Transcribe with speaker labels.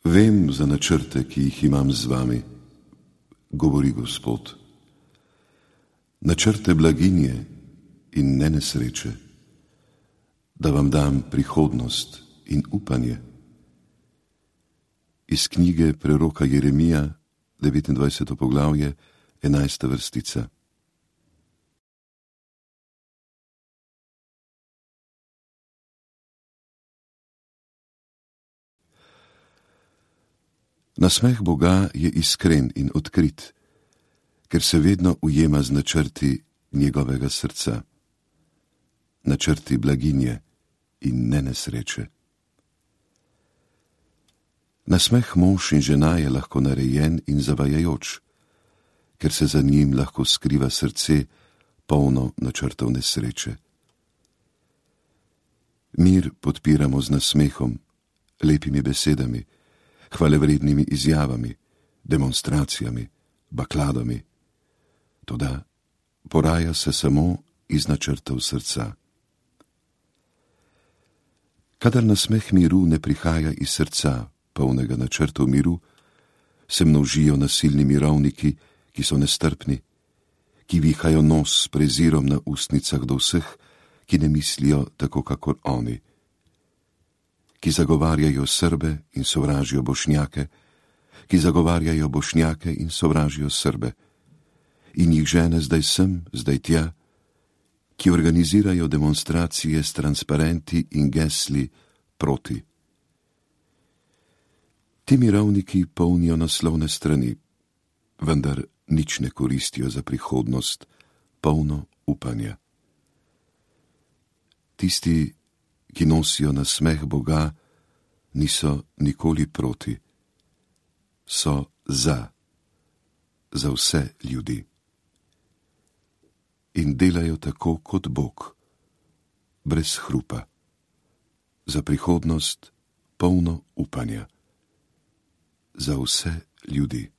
Speaker 1: Vem za načrte, ki jih imam z vami, govori Gospod. Načrte blaginje in ne nesreče, da vam dam prihodnost in upanje. Iz knjige preroka Jeremija, 29. poglavje, 11. vrstica. Nasmeh Boga je iskren in odkrit, ker se vedno ujema z načrti njegovega srca, načrti blaginje in ne nesreče. Nasmeh mož in žena je lahko narejen in zavajajoč, ker se za njim lahko skriva srce, polno načrtov nesreče. Mir podpiramo z nasmehom, lepimi besedami, hvalevrednimi izjavami, demonstracijami, bakladami. Toda poraja se samo iz načrtov srca. Kadar nasmeh miru ne prihaja iz srca, polnega načrtov miru, se množijo nasilni mirovniki, ki so nestrpni, ki vihajo nos s prezirom na ustnicah do vseh, ki ne mislijo tako kakor oni, ki zagovarjajo Srbe in sovražijo Bošnjake, ki zagovarjajo Bošnjake in sovražijo Srbe, in jih žene zdaj sem, zdaj tja, ki organizirajo demonstracije s transparenti in gesli proti. Ti mirovniki polnijo naslovne strani, vendar nič ne koristijo za prihodnost, polno upanja. Tisti, ki nosijo nasmeh Boga, niso nikoli proti, so za vse ljudi. In delajo tako kot Bog, brez hrupa, za prihodnost polno upanja, za vse ljudi.